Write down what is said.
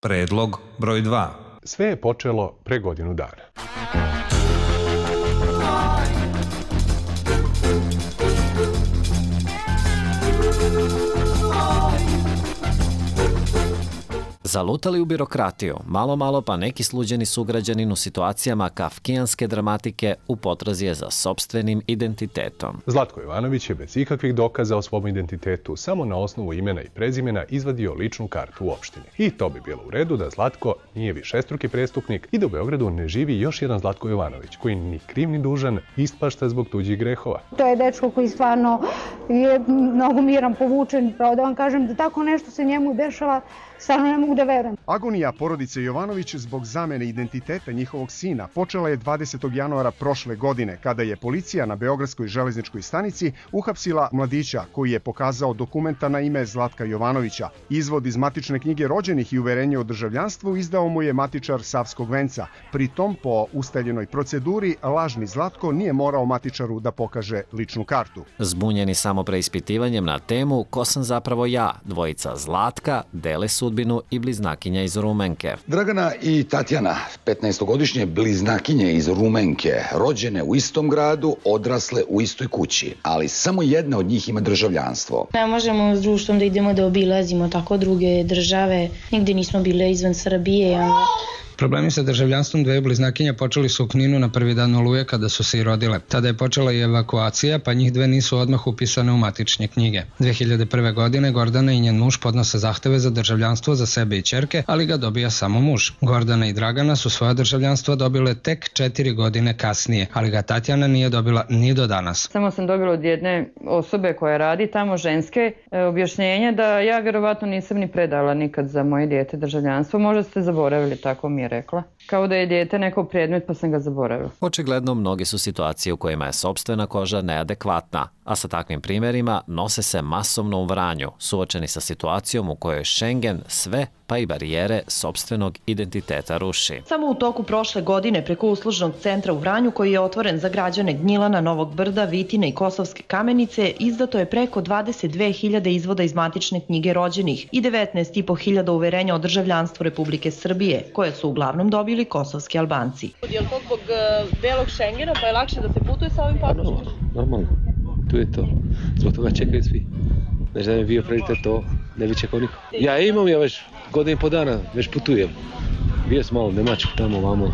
Predlog broj 2. Sve je počelo pre godinu dana. Zalutali u birokratiju, malo pa neki sluđeni sugrađanin u situacijama kafkijanske dramatike u potrazi je za sopstvenim identitetom. Zlatko Jovanović je bez ikakvih dokaza o svom identitetu samo na osnovu imena i prezimena izvadio ličnu kartu u opštini. I to bi bilo u redu da Zlatko nije višestruki prestupnik i da u Beogradu ne živi još jedan Zlatko Jovanović koji ni kriv ni dužan ispašta zbog tuđih grehova. To je dečko koji stvarno je mnogo miran, povučen, pravo da vam kažem da tako nešto se njemu dešava, stvarno ne mogu da verujem. Agonija porodice Jovanović zbog zamene identiteta njihovog sina počela je 20. januara prošle godine, kada je policija na Beogradskoj železničkoj stanici uhapsila mladića koji je pokazao dokumenta na ime Zlatka Jovanovića. Izvod iz matične knjige rođenih i uverenje o državljanstvu izdao mu je matičar Savskog venca. Pritom, po ustaljenoj proceduri, lažni Zlatko nije morao matičaru da pokaže ličnu kartu. Zbunjeni samo preispitivanjem na temu ko sam zapravo ja, dvojica Zlatka dele sudbinu i bliznakinja iz Rumenke. Dragana i Tatjana, 15-godišnje bliznakinje iz Rumenke, rođene u istom gradu, odrasle u istoj kući, ali samo jedna od njih ima državljanstvo. Ne možemo s društvom da idemo da obilazimo tako druge države, nigde nismo bile izvan Srbije. Problemi sa državljanstvom dveju bliznakinja počeli su u Kninu na prvi dan Oluje kada su se i rodile. Tada je počela i evakuacija, pa njih dve nisu odmah upisane u matične knjige. 2001. godine Gordana i njen muž podnose zahteve za državljanstvo za sebe i ćerke, ali ga dobija samo muž. Gordana i Dragana su svoja državljanstva dobile tek 4 godine kasnije, ali ga Tatjana nije dobila ni do danas. Samo sam dobila od jedne osobe koja radi tamo, ženske, objašnjenje da ja vjerovatno nisam ni predala nikad za moje dijete državljanstvo. Možda ste zaboravili, tako mi je rekla. Kao da je dijete neko predmet pa sam ga zaboravila. Očigledno mnoge su situacije u kojima je sopstvena koža neadekvatna, a sa takvim primjerima nose se masovno u Vranju, suočeni sa situacijom u kojoj Schengen sve pa i barijere sopstvenog identiteta ruši. Samo u toku prošle godine preko uslužnog centra u Vranju, koji je otvoren za građane Gnjilana, Novog Brda, Vitine i Kosovske Kamenice, izdato je preko 22.000 izvoda iz matične knjige rođenih i 19.500 uverenja o državljanstvu Republike Srbije, koje su uglavnom dobili kosovski Albanci. Je li to zbog belog Schengena, pa je lakše da se putuje sa ovim pasošem? Normalno, tu je to. Zbog toga čekaju svi. Znači da mi je bio prioritet to, ne bi čekao niko. Ja imam, ja već godinu i po dana, već putujem. Bio sam malo u Njemačku, tamo, vamo.